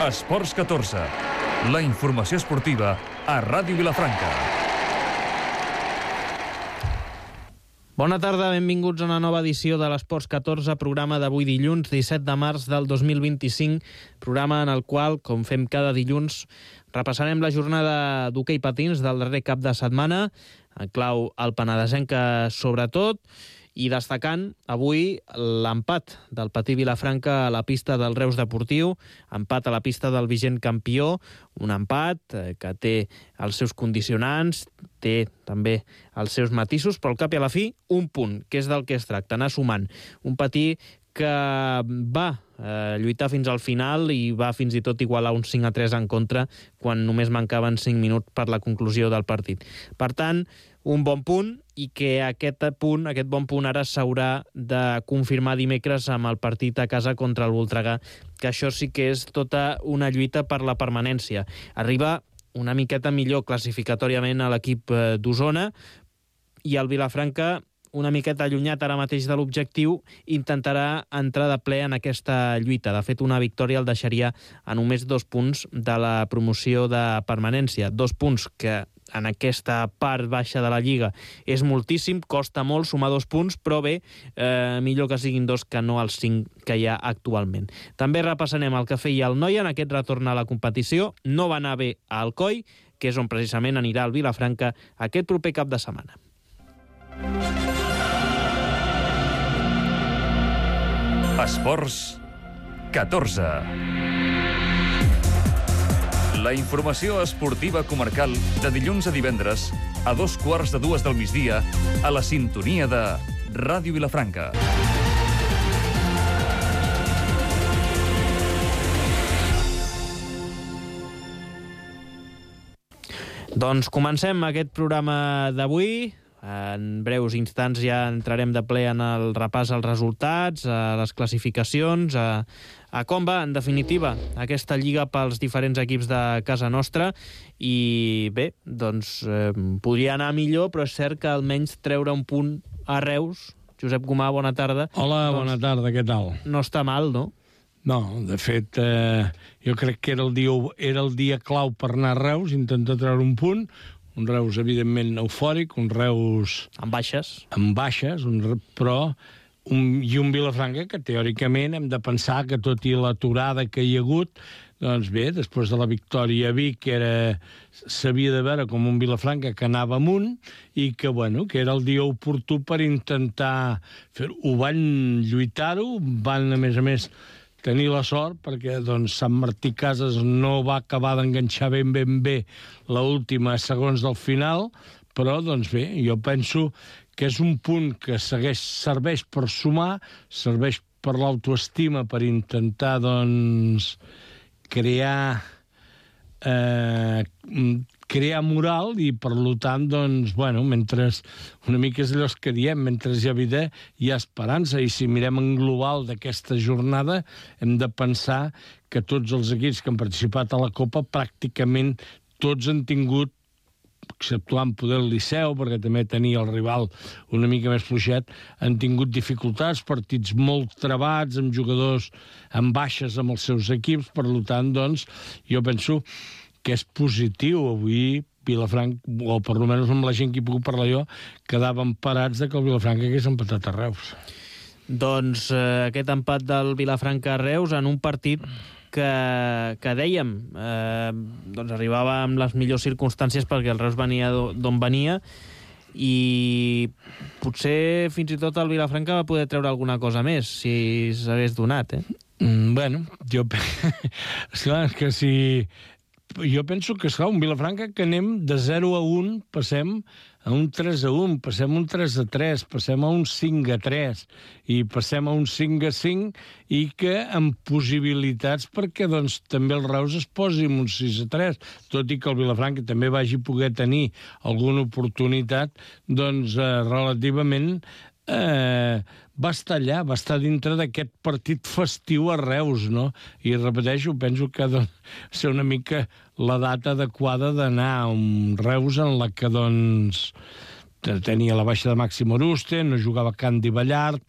Esports 14. La informació esportiva a Ràdio Vilafranca. Bona tarda, benvinguts a una nova edició de l'Esports 14, programa d'avui dilluns 17 de març del 2025, programa en el qual, com fem cada dilluns, repassarem la jornada d'hoquei patins del darrer cap de setmana, en clau el penedesenca sobretot, i destacant avui l'empat del Patí Vilafranca a la pista del Reus Deportiu, empat a la pista del vigent campió, un empat que té els seus condicionants, té també els seus matisos, però al cap i a la fi un punt, que és del que es tracta, anar sumant. Un Patí que va lluitar fins al final i va fins i tot igualar un 5-3 en contra quan només mancaven 5 minuts per la conclusió del partit. Per tant, un bon punt, i que aquest bon punt ara s'haurà de confirmar dimecres amb el partit a casa contra el Voltregà, que això sí que és tota una lluita per la permanència. Arriba una miqueta millor classificatòriament a l'equip d'Osona, i el Vilafranca, una miqueta allunyat ara mateix de l'objectiu, intentarà entrar de ple en aquesta lluita. De fet, una victòria el deixaria a només 2 punts de la promoció de permanència. 2 punts que en aquesta part baixa de la Lliga és moltíssim, costa molt sumar 2 punts, però bé, millor que siguin 2 que no els 5 que hi ha actualment. També repassarem el que feia el Noia en aquest retorn a la competició. No va anar bé a Alcoi, que és on precisament anirà el Vilafranca aquest proper cap de setmana. Esports 14. La informació esportiva comarcal de dilluns a divendres a 2:15 del migdia a la sintonia de Ràdio Vilafranca. Doncs comencem aquest programa d'avui. En breus instants ja entrarem de ple en el repàs als resultats, a les classificacions, a com va, en definitiva, aquesta lliga pels diferents equips de casa nostra. I bé, doncs podria anar millor, però és cert que almenys treure un punt a Reus. Josep Gomà, bona tarda. Hola, doncs, bona tarda, què tal? No està mal, no? No, de fet, jo crec que era el dia clau per anar a Reus, intentar treure un punt. Un Reus, evidentment, eufòric, un Reus... Amb baixes. Amb baixes, però... I un Vilafranca que, teòricament, hem de pensar que, tot i l'aturada que hi ha hagut, doncs bé, després de la victòria a Vic, s'havia de veure com un Vilafranca que anava amunt i que, bueno, que era el dia oportú per intentar fer-ho. Ho van lluitar-ho, van, a més, tenir la sort, perquè doncs, Sant Martí Casas no va acabar d'enganxar ben bé l'última segons del final, però, doncs bé, jo penso que és un punt que serveix per sumar, serveix per l'autoestima, per intentar, doncs, crear moral i, per tant, doncs, bueno, mentre una mica és allò que diem, mentre hi ha vida hi ha esperança, i si mirem en global d'aquesta jornada hem de pensar que tots els equips que han participat a la Copa pràcticament tots han tingut, exceptuant poder el Liceu, perquè també tenia el rival una mica més fluixet, han tingut dificultats, partits molt trebats, amb jugadors amb baixes amb els seus equips. Per tant, doncs, jo penso que és positiu avui Vilafranca, o per almenys amb la gent que hi puc parlar jo, quedaven parats que el Vilafranca hagués empatat a Reus. Doncs aquest empat del Vilafranca a Reus en un partit que dèiem, doncs arribava amb les millors circumstàncies perquè el Reus venia d'on venia, i potser fins i tot el Vilafranca va poder treure alguna cosa més si s'hagués donat, Bueno, jo penso que un Vilafranca que anem de 0-1, passem a un 3-1, passem a un 3-3, passem a un 5-3 i passem a un 5-5, i que amb possibilitats perquè doncs, també el Reus es posi en un 6-3, tot i que el Vilafranca també vagi poder tenir alguna oportunitat, doncs relativament va estar allà, va estar dintre d'aquest partit festiu a Reus, no? I repeteixo, penso que ha de ser una mica la data adequada d'anar a un Reus en la que, doncs, tenia la baixa de Màxim Oruste, no jugava Candy Ballart,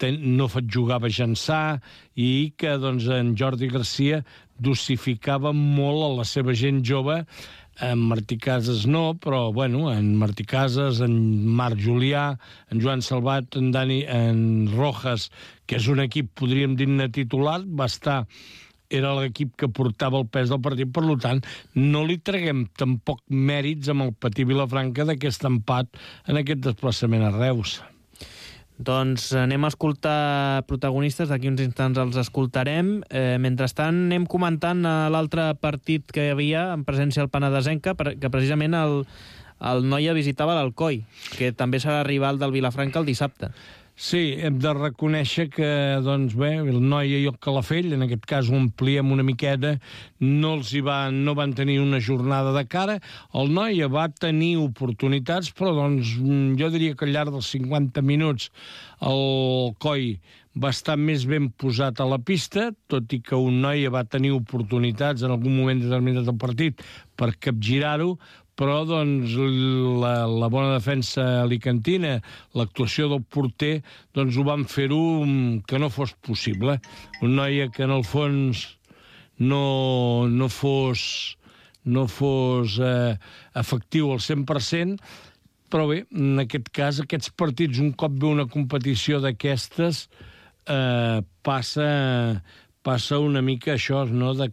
no jugava Jansà, i que, doncs, en Jordi Garcia dosificava molt a la seva gent jove. En Martí Casas no, però bueno, en Martí Casas, en Marc Julià, en Joan Salvat, en Rojas, que és un equip, podríem dir-ne titular, era l'equip que portava el pes del partit, per tant, no li traguem tampoc mèrits amb el Patí Vilafranca d'aquest empat en aquest desplaçament a Reus. Doncs anem a escoltar protagonistes, d'aquí uns instants els escoltarem. Mentrestant anem comentant l'altre partit que hi havia en presència al Penedesenc, que precisament el Noia visitava l'Alcoi, que també serà rival del Vilafranca el dissabte. Sí, hem de reconèixer que, doncs bé, el Noia i el Calafell, en aquest cas ho ampliem una miqueta, no van tenir una jornada de cara. El Noia va tenir oportunitats, però doncs jo diria que al llarg dels 50 minuts el Coi va estar més ben posat a la pista, tot i que un Noia va tenir oportunitats en algun moment determinat del partit per capgirar-ho, però doncs, la bona defensa alicantina, l'actuació del porter, doncs ho van fer-ho que no fos possible. Un Noia que en el fons no fos efectiu al 100%, però bé, en aquest cas, aquests partits, un cop ve una competició d'aquestes, passa una mica això, no?, de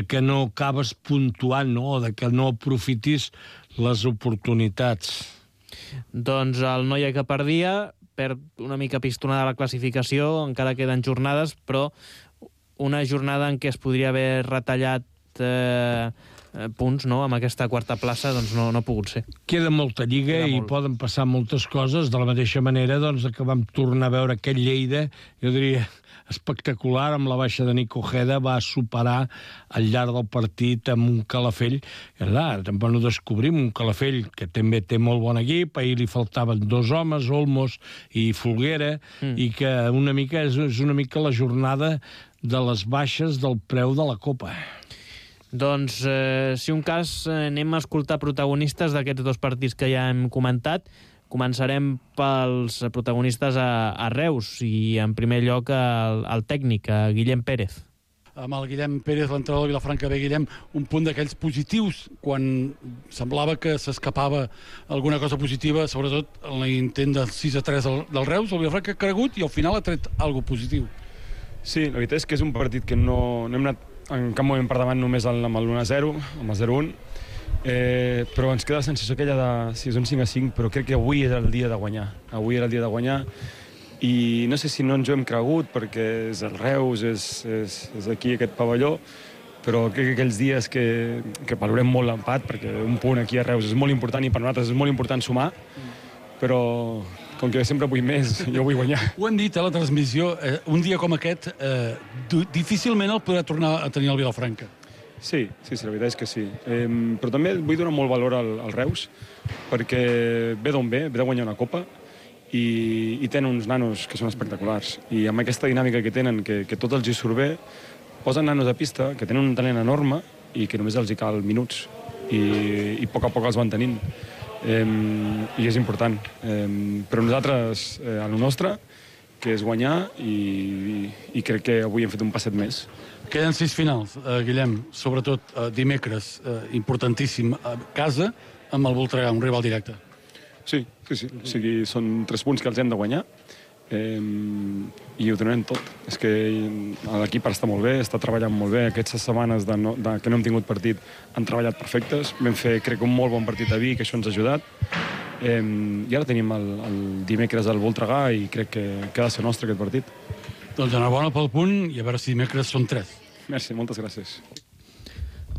que no acabes puntuant, no?, o de que no aprofitis les oportunitats. Doncs el Noia que perdia perd una mica pistonada la classificació, encara queden jornades, però una jornada en què es podria haver retallat punts, no?, amb aquesta quarta plaça, doncs no ha pogut ser. Queda molta lliga i poden passar moltes coses, de la mateixa manera doncs, que vam tornar a veure aquell Lleida, jo diria espectacular, amb la baixa de Nico Ojeda, va superar al llarg del partit amb un Calafell, que clar, tampoc no descobrim un Calafell que també té molt bon equip, ahir li faltaven 2 homes, Olmos i Folguera, i que és una mica la jornada de les baixes del preu de la Copa. Doncs, si un cas, anem a escoltar protagonistes d'aquests 2 partits que ja hem comentat. Començarem pels protagonistes a Reus i, en primer lloc, el tècnic, Guillem Pérez. Amb el Guillem Pérez, l'entrenador de Vilafranca, Guillem, un punt d'aquells positius, quan semblava que s'escapava alguna cosa positiva, sobretot en l'intent del 6-3 del Reus, el Vilafranca ha cregut i al final ha tret alguna positiu. Sí, la veritat és que és un partit que no hem anat en cap moment per davant només amb l'1-0, amb el 0-1, però ens queda la sensació aquella de si és un 5-5, però crec que avui era el dia de guanyar. Avui era el dia de guanyar i no sé si no ens ho hem cregut perquè és el Reus, és aquí aquest pavelló, però crec que aquells dies que valorem molt l'empat, perquè un punt aquí a Reus és molt important i per nosaltres és molt important sumar, però com que sempre vull més, jo vull guanyar. Ho han dit a la transmissió, un dia com aquest difícilment el podrà tornar a tenir el Vilafranca. Sí, la veritat és que sí. Però també vull donar molt valor al Reus, perquè ve d'on ve de guanyar una copa, i tenen uns nanos que són espectaculars. I amb aquesta dinàmica que tenen, que tot els hi surt bé, posen nanos a pista, que tenen un talent enorme, i que només els hi cal minuts, i a poc els van tenint. I és important. Però nosaltres, a lo nostre, que és guanyar, i crec que avui hem fet un passet més. Queden 6 finals, Guillem, sobretot dimecres, importantíssim, a casa, amb el Voltregà, un rival directe. Sí. O sigui, són 3 punts que els hem de guanyar, i ho donem tot. És que l'equip està molt bé, està treballant molt bé. Aquestes setmanes que no hem tingut partit han treballat perfectes. Vam fer, crec, un molt bon partit a Vic, que això ens ha ajudat. I ara tenim el dimecres al Voltregà i crec que ha de ser nostre aquest partit. Doncs enhorabona pel punt i a veure si dimecres són 3. Merci, moltes gràcies.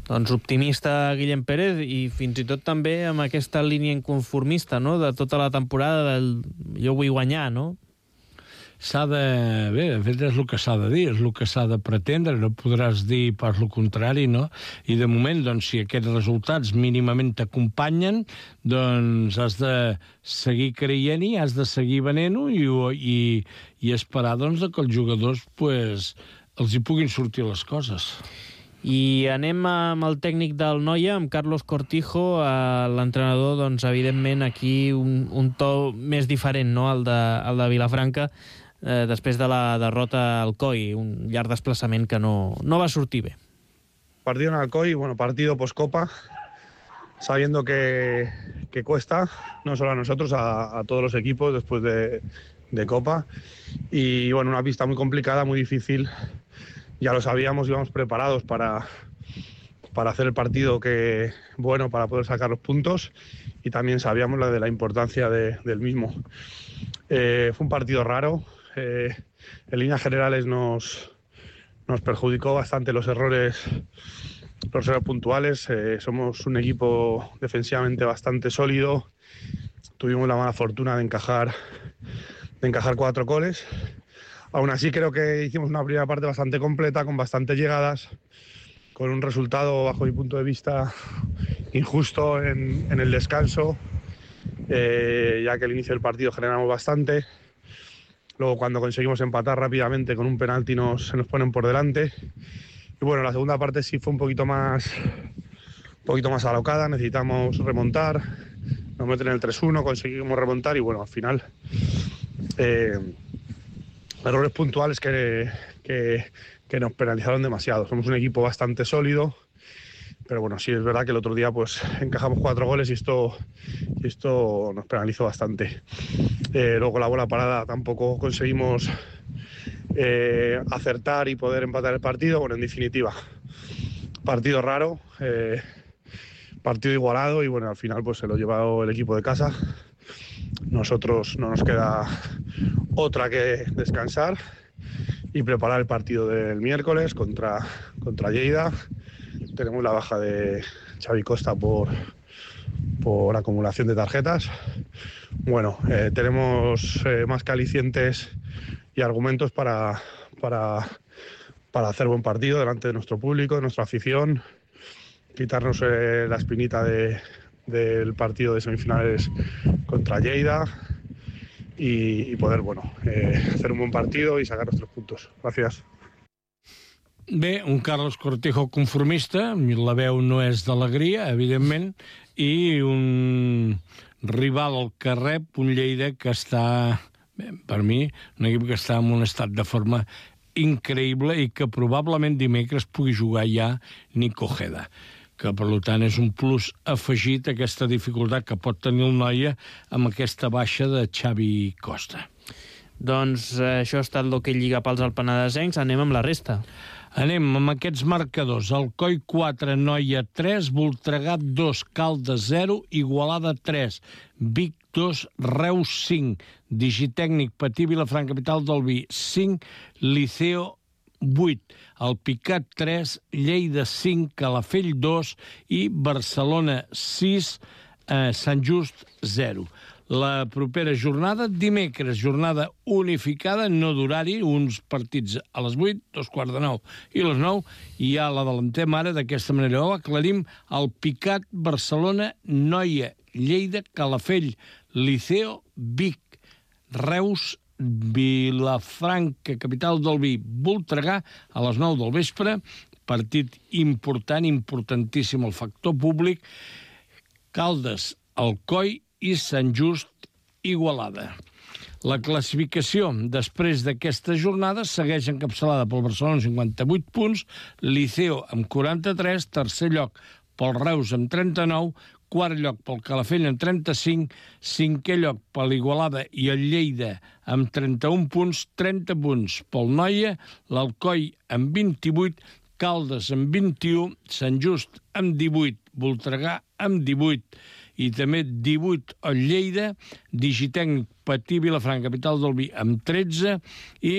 Doncs optimista Guillem Pérez i fins i tot també amb aquesta línia inconformista, no?, de tota la temporada del jo vull guanyar, no? Bé, de fet és el que s'ha de dir, és el que s'ha de pretendre, no podràs dir pas el contrari, no? I de moment, doncs, si aquests resultats mínimament t'acompanyen, doncs has de seguir creient-hi, has de seguir venent-ho i esperar, doncs, que els jugadors, pues, els hi puguin sortir les coses. I anem amb el tècnic del Noia, amb Carlos Cortijo, l'entrenador, doncs, evidentment, aquí un to més diferent, no?, el de Vilafranca. després de la derrota al COI, un llarg desplaçament que no va sortir bé. Partido en Alcoy, bueno, partido post-Copa, sabiendo que cuesta, no solo a nosotros, a todos los equipos después de Copa. Y bueno, una pista muy complicada, muy difícil. Ya lo sabíamos, íbamos preparados para hacer el partido para poder sacar los puntos, y también sabíamos la importancia del mismo. Fue un partido raro, en líneas generales nos perjudicó bastante los errores puntuales. Somos un equipo defensivamente bastante sólido, tuvimos la mala fortuna de encajar 4 goles. Aún así creo que hicimos una primera parte bastante completa, con bastantes llegadas, con un resultado, bajo mi punto de vista, injusto en el descanso, ya que al inicio del partido generamos bastante. Luego, cuando conseguimos empatar rápidamente con un penalti, se nos ponen por delante. Y bueno, la segunda parte sí fue un poquito más alocada, necesitamos remontar, nos meten en el 3-1, conseguimos remontar y bueno, al final errores puntuales que nos penalizaron demasiado. Somos un equipo bastante sólido, pero bueno, sí es verdad que el otro día pues encajamos 4 goles y esto nos penalizó bastante. Luego la bola parada tampoco conseguimos acertar y poder empatar el partido. Bueno, en definitiva, partido raro, partido igualado, y bueno, al final pues se lo ha llevado el equipo de casa. Nosotros no nos queda otra que descansar y preparar el partido del miércoles contra Lleida. Tenemos la baja de Xavi Costa por acumulación de tarjetas. Bueno, tenemos más que alicientes y argumentos para hacer buen partido delante de nuestro público, de nuestra afición, quitarnos la espinita del partido de semifinales contra Lleida y poder hacer un buen partido y sacar nuestros puntos. Gracias. Bé, un Carlos Cortijo conformista, la veu no és d'alegria, evidentment, i un rival al carrer, un Lleida que està, per mi, un equip que està en un estat de forma increïble i que probablement dimecres pugui jugar ja Nico Ojeda, que per tant és un plus afegit a aquesta dificultat que pot tenir el Noia amb aquesta baixa de Xavi Costa. Doncs això ha estat l'Hoquei Lliga pels alpenadesencs. Anem amb la resta. Anem amb aquests marcadors. Alcoi 4, Noia 3, Voltregà 2, Caldes 0, Igualada 3, Vic 2, Reus 5, Digitècnic Patí Vilafranca, capital del Vi 5, Liceo 8, Alpicat 3, Lleida 5, Calafell 2 i Barcelona 6, Sant Just 0. La propera jornada, dimecres, jornada unificada, no d'horari, uns partits a les 8, 8:45 i les 9, i ja l'adelantem ara d'aquesta manera. Ho aclarim: Alpicat, Barcelona, Noia, Lleida, Calafell, Liceo, Vic, Reus, Vilafranca, capital del Vi, Voltregà, a les 9 del vespre, partit important, importantíssim el factor públic, Caldes, Alcoi i Sant Just, Igualada. La classificació després d'aquesta jornada segueix encapçalada pel Barcelona amb 58 punts, Liceo amb 43, tercer lloc pel Reus amb 39, quart lloc pel Calafell amb 35, cinquè lloc per l'Igualada i el Lleida amb 31 punts, 30 punts pel Noia, l'Alcoi amb 28, Caldes amb 21, Sant Just amb 18, Voltregà amb 18, i també 18 al Lleida, Digitècnic Patí Vilafranca, capital del Vi, amb 13 i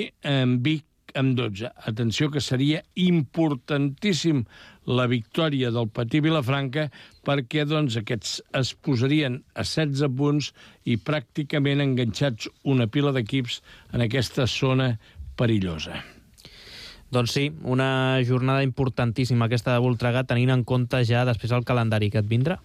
Vic amb 12. Atenció, que seria importantíssim la victòria del Patí Vilafranca, perquè doncs, aquests es posarien a 16 punts i pràcticament enganxats una pila d'equips en aquesta zona perillosa. Doncs sí, una jornada importantíssima aquesta de Voltregà, tenint en compte ja després el calendari que et vindrà.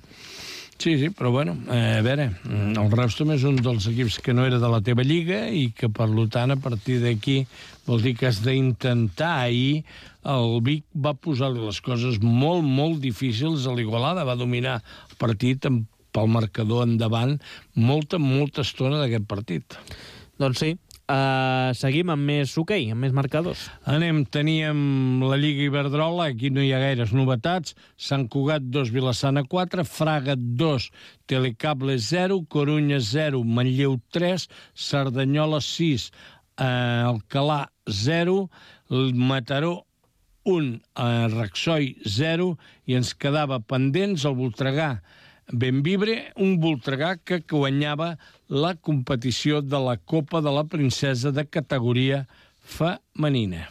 Sí, però bueno, a veure, el Reus també és un dels equips que no era de la teva lliga i que, per tant, a partir d'aquí vol dir que has d'intentar. Ahir el Vic va posar-li les coses molt, molt difícils a l'Igualada, va dominar el partit pel marcador endavant molta estona d'aquest partit. Doncs sí, Seguim amb més hoquei, amb més marcadors. Teníem la Lliga Iberdrola, aquí no hi ha gaires novetats. Sant Cugat 2, Vilassana 4, Fraga 2, Telecable 0, Corunya 0, Manlleu 3, Cerdanyola 6, Alcalà 0, Mataró 1, Raxoi 0, i ens quedava pendents el Voltregà Benvibre, un Voltregà que guanyava la competició de la Copa de la Princesa de categoria femenina.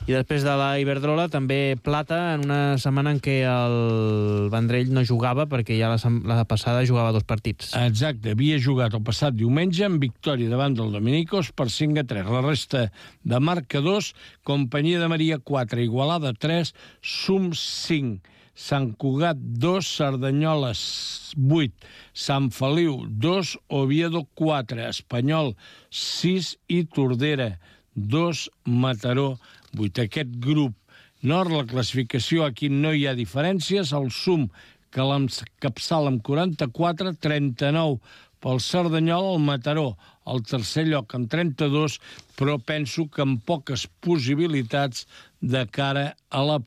I després de la Iberdrola, també plata en una setmana en què el Vendrell no jugava, perquè ja la passada jugava 2 partits. Exacte, havia jugat el passat diumenge en victòria davant del Dominicos per 5-3. La resta de marcadors, Companyia de Maria 4, Igualada 3, Sum 5, Sant Cugat 2, Cerdanyola 8, Sant Feliu 2, Oviedo 4, Espanyol 6 i Tordera 2, Mataró 8. Aquest grup nord, la classificació, aquí no hi ha diferències. El Sum, que l'encapçala amb 44, 39 pel Cerdanyola, el Mataró al tercer lloc amb 32, però penso que amb poques possibilitats de cara a la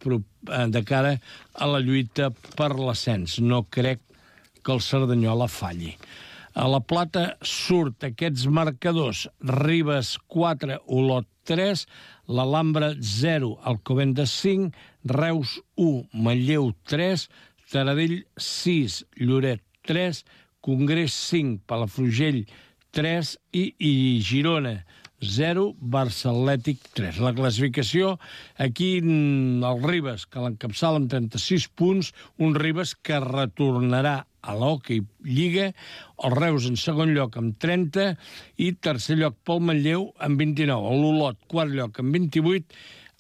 lluita per l'ascens. No crec que el Cerdanyola falli. A la plata surt aquests marcadors: Ribes 4, Olot 3, l'Alhambra 0, Alcobendas 5, Reus 1, Manlleu 3, Taradell 6, Lloret 3, Congrés 5, Palafrugell 3 i Girona 0, Barça Atlètic 3. La classificació, aquí el Ribes, que l'encapçala amb 36 punts, un Ribes que retornarà a l'Hockey Lliga, el Reus en segon lloc amb 30 i tercer lloc pel Manlleu amb 29. L'Olot, quart lloc amb 28,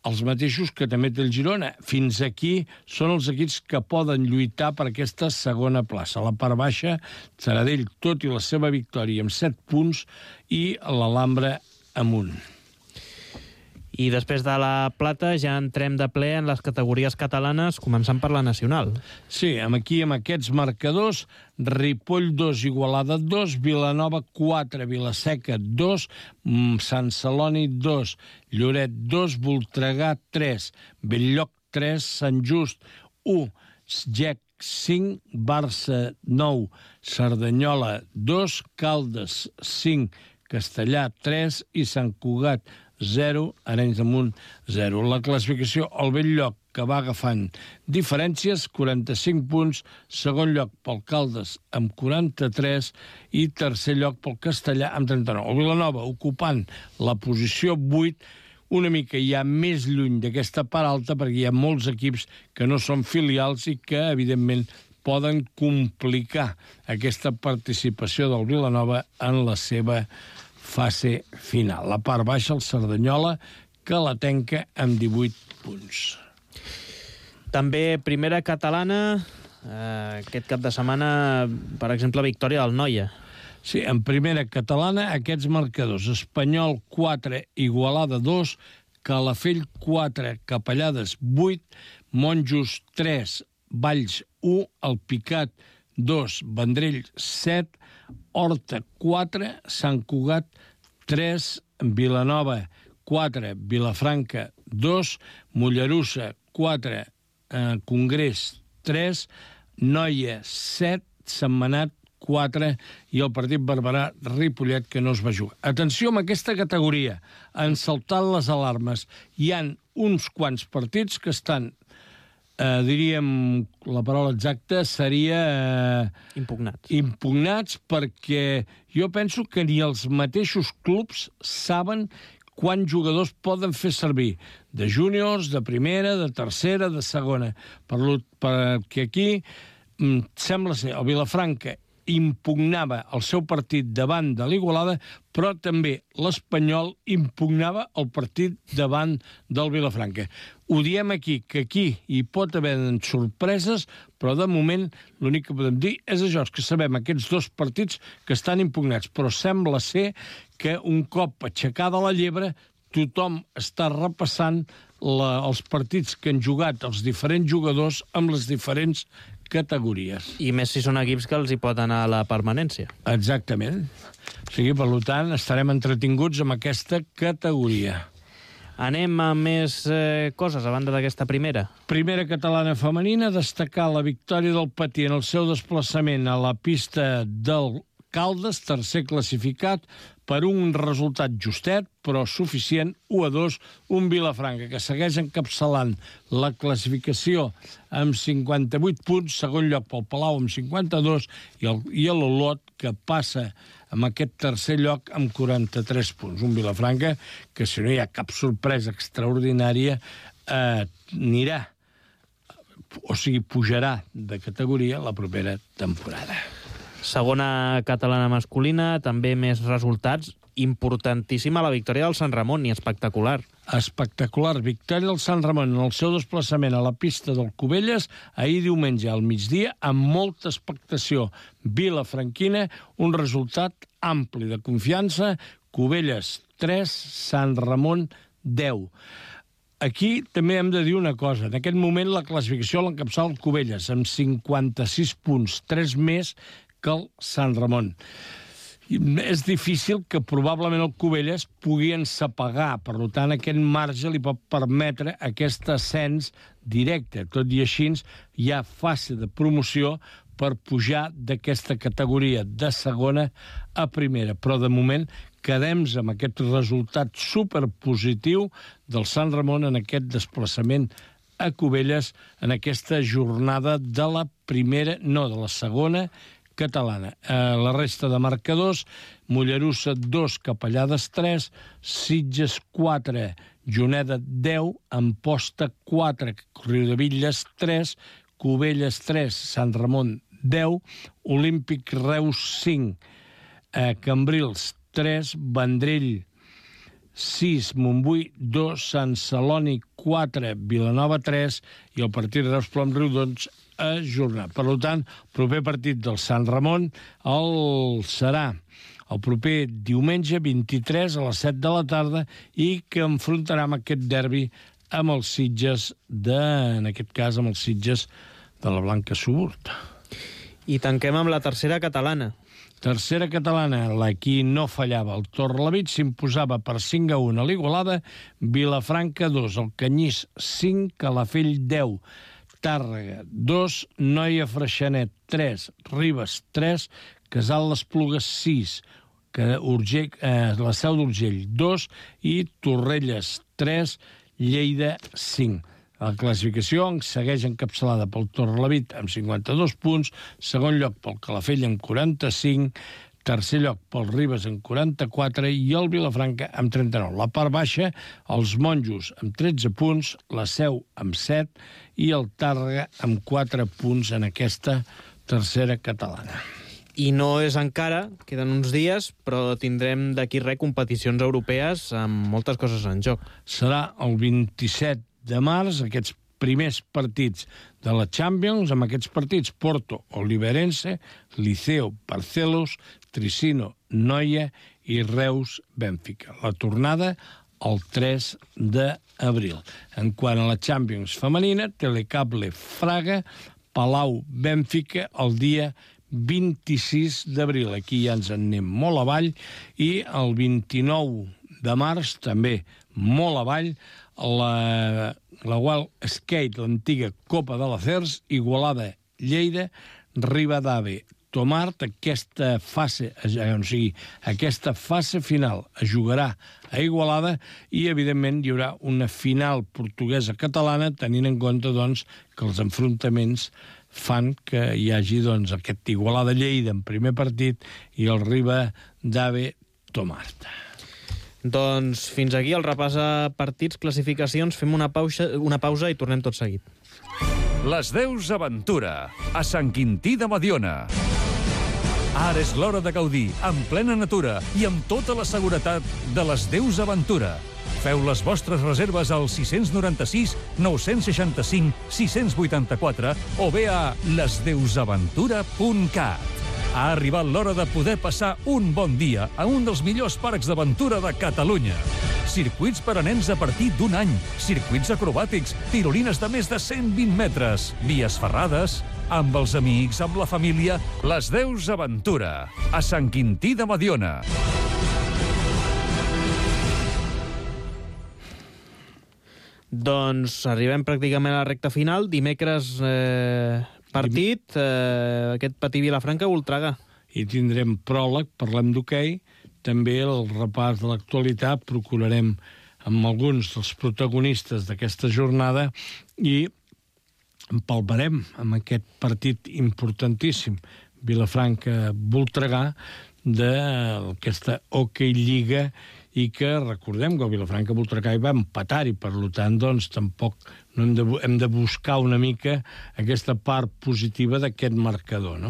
els mateixos que també té el Girona. Fins aquí són els equips que poden lluitar per aquesta segona plaça. A la part baixa, Taradell, tot i la seva victòria, amb 7 punts, i l'Alhambra amb 1. I després de la plata ja entrem de ple en les categories catalanes, començant per la nacional. Sí, aquí amb aquests marcadors: Ripoll 2, Igualada 2, Vilanova 4, Vilaseca 2, Sant Celoni 2, Lloret 2, Voltregà 3, Belllloc 3, Sant Just 1, Gec 5, Barça 9, Cerdanyola 2, Caldes 5, Castellà 3 i Sant Cugat 0, Arenys de Munt 0. La classificació, el Belllloc, que va agafant diferències, 45 punts, segon lloc pel Caldes amb 43 i tercer lloc pel Castellà amb 39. El Vilanova ocupant la posició 8, una mica ja més lluny d'aquesta part alta, perquè hi ha molts equips que no són filials i que, evidentment, poden complicar aquesta participació del Vilanova en la seva fase final. La part baixa, el Cerdanyola, que la tanca amb 18 punts. També primera catalana, aquest cap de setmana, per exemple, victòria del Noia. Sí, en primera catalana, aquests marcadors: Espanyol 4, Igualada 2, Calafell 4, Capellades 8, Monjos 3, Valls 1, El Picat 2, Vendrell 7, Horta 4, Sant Cugat 3, Vilanova 4, Vilafranca 2, Mollerussa 4, Congrés 3, Noia 7, Sentmenat 4 i el partit Barberà-Ripollet, que no es va jugar. Atenció amb aquesta categoria, han saltat les alarmes. Hi han uns quants partits que estan, diríem, la paraula exacta seria impugnats, perquè jo penso que ni els mateixos clubs saben quants jugadors poden fer servir, de júniors, de primera, de tercera, de segona. Perquè aquí sembla ser el Vilafranca impugnava el seu partit davant de l'Igualada, però també l'Espanyol impugnava el partit davant del Vilafranca. Ho diem aquí, que aquí hi pot haver sorpreses, però de moment l'únic que podem dir és això, que sabem aquests dos partits que estan impugnats, però sembla ser que un cop aixecada la llebre tothom està repassant els partits que han jugat els diferents jugadors amb les diferents categories. I més si són equips que els hi pot anar a la permanència. Exactament. O sigui, per tant, estarem entretinguts amb aquesta categoria. Anem a més coses, a banda d'aquesta primera. Primera catalana femenina, destacar la victòria del Patí en el seu desplaçament a la pista del Caldes, tercer classificat, per un resultat justet, però suficient, 1-2, un Vilafranca, que segueix encapçalant la classificació amb 58 punts, segon lloc pel Palau amb 52, i l'Olot, que passa amb aquest tercer lloc amb 43 punts. Un Vilafranca que, si no hi ha cap sorpresa extraordinària, anirà, o sigui, pujarà de categoria la propera temporada. Segona catalana masculina, també més resultats. Importantíssima la victòria del Sant Ramon, i espectacular. Espectacular. Victòria del Sant Ramon en el seu desplaçament a la pista del Cubelles ahir diumenge al migdia, amb molta expectació vilafranquina, un resultat ampli de confiança. Cubelles 3, Sant Ramon 10. Aquí també hem de dir una cosa. En aquest moment la classificació l'encapçala el Cubelles, amb 56 punts, 3 més que el Sant Ramon. És difícil que probablement el Cubelles pugui ensapegar, per tant aquest marge li pot permetre aquest ascens directe. Tot i així hi ha fase de promoció per pujar d'aquesta categoria de segona a primera. Però de moment quedem amb aquest resultat superpositiu del Sant Ramon en aquest desplaçament a Cubelles en aquesta jornada de la primera, no, de la segona catalana. La resta de marcadors: Mollerussa 2, Capellades 3, Sitges 4, Juneda 10, Amposta 4, Riudebitlles 3, Cubelles 3, Sant Ramon 10, Olímpic Reus 5, Cambrils 3, Vendrell 6, Montbui 2, Sant Celoni 4, Vilanova 3 i el partit Reus-Plom-Riudons ajornat. Per tant, el proper partit del Sant Ramon serà el proper diumenge 23 a les 7 de la tarda i que enfrontarà amb aquest derbi amb els Sitges en aquest cas amb els Sitges de la Blanca Suburt. I tanquem amb la tercera catalana. Tercera catalana, aquí no fallava. El Torrelavit s'imposava per 5-1 a l'Igualada, Vilafranca 2, el Canyís 5, Calafell 10, Tàrrega 2, Noia Freixenet 3, Ribes 3, Casal l'Esplugues 6, la Seu d'Urgell 2 i Torrelles 3, Lleida 5. La classificació segueix encapçalada pel Torrelavit amb 52 punts, segon lloc pel Calafell amb 45, tercer lloc pel Ribes amb 44 i el Vilafranca amb 39. La part baixa, els Monjos amb 13 punts, la Seu amb 7 i el Tàrrega amb 4 punts en aquesta tercera catalana. I no és encara, queden uns dies, però tindrem d'aquí res competicions europees amb moltes coses en joc. Serà el 27 de març, aquests primers partits de la Champions, amb aquests partits Porto, Oliveirense, Liceo, Barcelos, Tricino, Noia i Reus, Bènfica. La tornada el 3 d'abril. En quant a la Champions femenina, Telecable Fraga, Palau, Bènfica, el dia 26 d'abril. Aquí ja ens en anem molt avall. I el 29 de març, també molt avall, la Wild Skate, l'antiga Copa de l'Acers, Igualada, Lleida, Ribadave, Tomart. Aquesta fase final es jugarà a Igualada i, evidentment, hi haurà una final portuguesa-catalana, tenint en compte doncs, que els enfrontaments fan que hi hagi aquest Igualada-Lleida en primer partit i el Ribadave-Tomart. Doncs fins aquí el repàs a partits, classificacions. Fem una pausa i tornem tot seguit. Les Deus Aventura, a Sant Quintí de Mediona. Ara és l'hora de gaudir, en plena natura i amb tota la seguretat de les Deus Aventura. Feu les vostres reserves al 696 965 684 o bé a lesdeusaventura.cat. Ha arribat l'hora de poder passar un bon dia a un dels millors parcs d'aventura de Catalunya. Circuits per a nens a partir d'1 any, circuits acrobàtics, tirolines de més de 120 metres, vies ferrades, Amb els amics, amb la família, les 10 Aventura, a Sant Quintí de Mediona. Doncs arribem pràcticament a la recta final. Dimecres partit, aquest Patí Vilafranca-Voltregà. I tindrem pròleg, parlem d'hoquei, també el repàs de l'actualitat, procurarem amb alguns dels protagonistes d'aquesta jornada i empalmarem amb aquest partit importantíssim, Vilafranca-Voltregà, d'aquesta hoquei lliga, i que recordem que el Vilafranca-Voltregà hi va empatar i per tant doncs tampoc no hem de buscar una mica aquesta part positiva d'aquest marcador, no?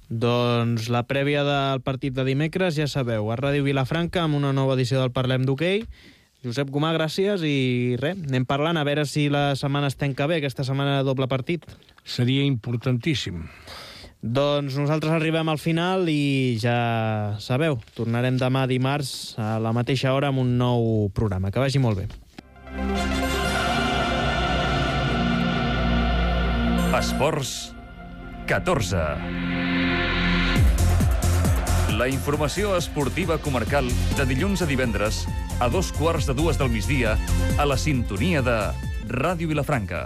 Doncs la prèvia del partit de dimecres, ja sabeu, a Ràdio Vilafranca amb una nova edició del Parlem d'Hoquei. Josep Gomà, gràcies i res, anem parlant a veure si la setmana es tanca bé, aquesta setmana de doble partit. Seria importantíssim. Doncs nosaltres arribem al final i ja sabeu, tornarem demà dimarts a la mateixa hora amb un nou programa. Que vagi molt bé. Esports 14. La informació esportiva comarcal de dilluns a divendres a 2:15 del migdia a la sintonia de Ràdio Vilafranca.